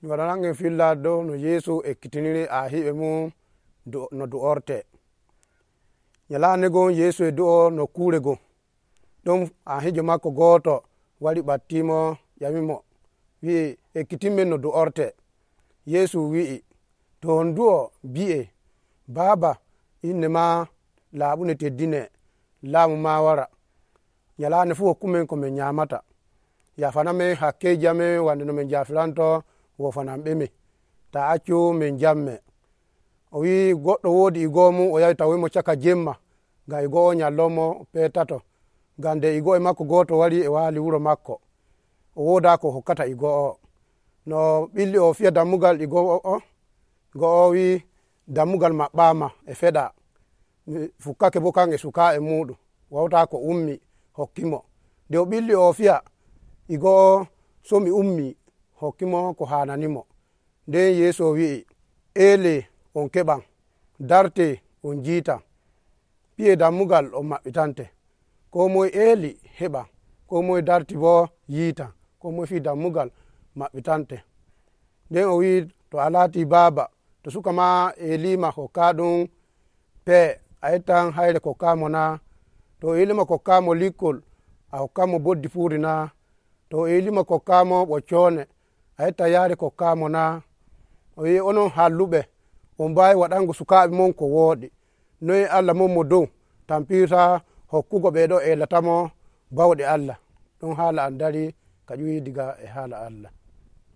mi waɗanangen filla dow no yeesu ekkitiniri ahiɓe mum no du'orte. nyalande gon yeesu e du'o nokkure gon ɗon ahijo makko gooto wari ɓattimo ƴamimo wi'i ekkitinmen no du'orte. yeesu wi'i to on du'o bi'e baaba inne ma laaɓune teddine laamu ma wara nyalande fu hokkumen ko min nyamata yafanamen hakkeji amen wande no min jafiranto wofanan ɓeme ta accu min jamme. o wi goɗɗo woodi igo mum o yahi tawimo caka jemma ngam igo o nyallonmo petato ngam nde igo e makko goto wari e wali wuro makko o woda ko hokkata igo o. no ɓilli o fiya dammugal igo o wi dammugal maɓɓama e feɗa fukkake bo kan e suka e muɗum wawta ko ummi hokkimo. nde o ɓilli o fiya igo o somi ummi hokkimo ko hananimo. nden yeesu o wi'i ele on keɓan darte on jiita piye dammugal on maɓɓitante. ko moye eli heɓan ko moye darti bo yiita ko moye fi dammugal maɓɓitante. nden o wi to a laati baaba to suka ma elima hokka ɗum pee a ettan hayre kokkamo na to elima kokkamo likkol a hokkamo boddi fuuri na to elima kokkamo ɓoccone a etta yaare kokkamo na. o wi onon halluɓe on mbawi waɗango sukaɓe mon ko wooɗi noyi allah mon mo dow tampirta hokkugo ɓeɗo elatamo bawɗe allah. ɗon haala an dari ka ƴuwi diga e haala allah.